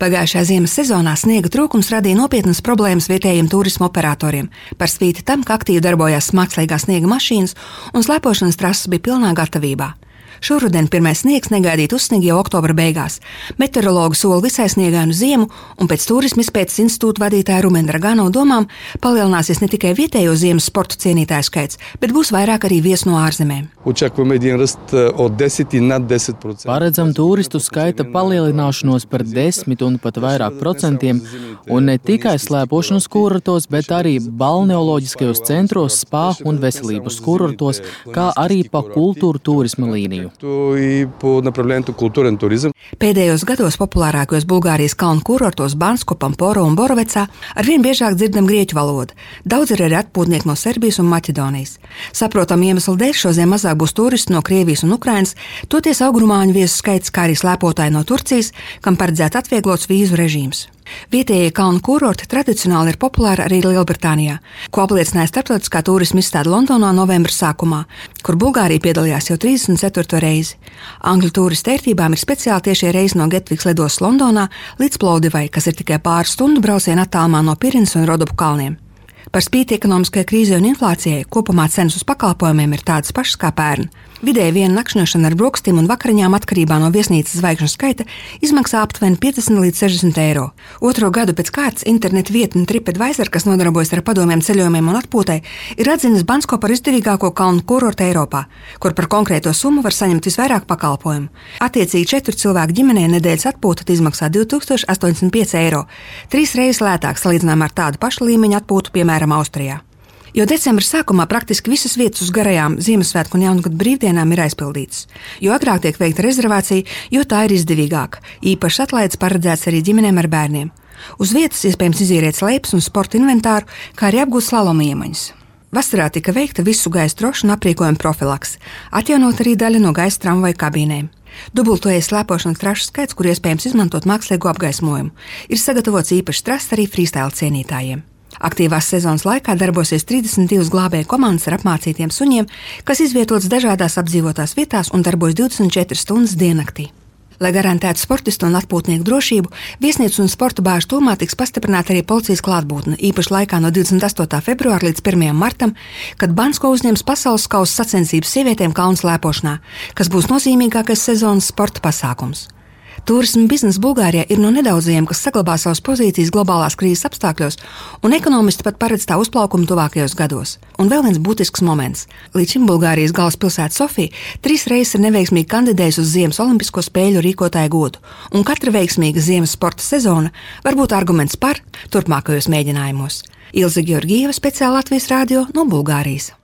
Pagājušajā ziemas sezonā sniega trūkums radīja nopietnas problēmas vietējiem turisma operatoriem, par spīti tam, ka aktīvi darbojās mākslīgā sniega mašīnas un slēpošanas trases bija pilnā gatavībā. Šoruden pirmais sniegs negaidīt uzsniega jau oktobra beigās. Meteorologi sola visai sniegainu ziemu, un pēc Turisma izpētes institūta vadītāja Rumena Dragano domām palielināsies ne tikai vietējo ziemas sporta cienītāju skaits, bet būs vairāk arī viesu no ārzemēm. Paredzam turistu skaita palielināšanos par 10 un pat vairāk procentiem, un ne tikai slēpošanas kurortos, bet arī balneoloģiskajos centros, spā un veselības kurortos, kā arī pa kultūru turisma līniju. Pēdējos gados populārākajos Bulgārijas kalnu kurortos Bansko, Pamporo un Borovecā arvien biežāk dzirdam grieķu valodu. Daudz ir arī atpūtnieki no Serbijas un Maķedonijas. Saprotam iemeslu dēļ šodien mazāk būs turisti no Krievijas un Ukrainas, toties augrumāņu viesu skaits, kā arī slēpotāji no Turcijas, kam paredzēts atvieglots vīzu režīms. Vietējie kalnu kurorti tradicionāli ir populāri arī Lielbritānijā, ko apliecināja starptautiskā turisma izstāde Londonā novembra sākumā, kur Bulgārija piedalījās jau 34. reizi. Angļu turistu ērtībām ir speciāli tiešie reisi no Gatvikas lidostas Londonā līdz Plovdivai, kas ir tikai pāris stundu brauciena attālumā no Pirinas un Rodopu kalniem. Par spīti ekonomiskajai krīzei un inflācijai kopumā cenas uz pakalpojumiem ir tādas pašas kā pērn. Vidēji viena nakšņošana ar brokastīm un vakariņām atkarībā no viesnīcas zvaigžņu skaita izmaksā aptuveni 50 līdz 60 eiro. Otro gadu pēc kārtas internetu vietne TripAdvisor, kas nodarbojas ar padomiem ceļojumiem un atpūtai, ir atzinis Bansko par izdevīgāko kalnu kurortu Eiropā, kur par konkrēto summu var saņemt visvairāk pakalpojumu. Attiecīgi 4 cilvēku ģimenē nedēļas atpūta izmaksā 2085 eiro, 3 reizes lētāk salīdzinājumā ar tādu pašu līmeņu atpūtu, piemēram, Austrijā. Jo decembra sākumā praktiski visas vietas uz garajām Ziemassvētku un Jaungada brīvdienām ir aizpildītas. Jo agrāk tiek veikta rezervācija, jo tā ir izdevīgāka. Īpašs atlaides paredzēts arī ģimenēm ar bērniem. Uz vietas iespējams izīrēt slēpes un sporta inventāru, kā arī apgūt slaloma iemaņas. Vasarā tika veikta visu gaisa trošu un aprīkojuma profilaks, atjaunot arī daļa no gaisa tramvaju kabīnēm. Dubultojies slēpošanas trašu skaits, kur iespējams izmantot mākslīgo apgaismojumu. Ir sagatavots īpašs trases arī freestyle cienītājiem. Aktīvās sezonas laikā darbosies 32 glābēju komandas ar apmācītiem suņiem, kas izvietotas dažādās apdzīvotās vietās un darbojas 24 stundas diennaktī. Lai garantētu sportistu un atpūtnieku drošību, viesnīcu un sporta bāžu tūmā tiks pastiprināta arī policijas klātbūtne, īpaši laikā no 28. februāra līdz 1. martam, kad Bansko uzņems pasaules kausa sacensības sievietēm kalnu slēpošanā, kas būs nozīmīgākais sezonas sporta pasākums. Turisma biznesa Bulgārijā ir no nedaudzajiem, kas saglabā savas pozīcijas globālās krīzes apstākļos, un ekonomisti pat paredz tā uzplaukumu tuvākajos gados. Un vēl viens būtisks moments. Līdz šim Bulgārijas galvaspilsēta Sofija 3 reizes ir neveiksmīgi kandidējusi uz Ziemas olimpisko spēļu rīkotāju godu, un katra veiksmīga ziemas sporta sezona var būt arguments par turpmākajos mēģinājumos. Ilze Georgieva, speciāli Latvijas radio no Bulgārijas.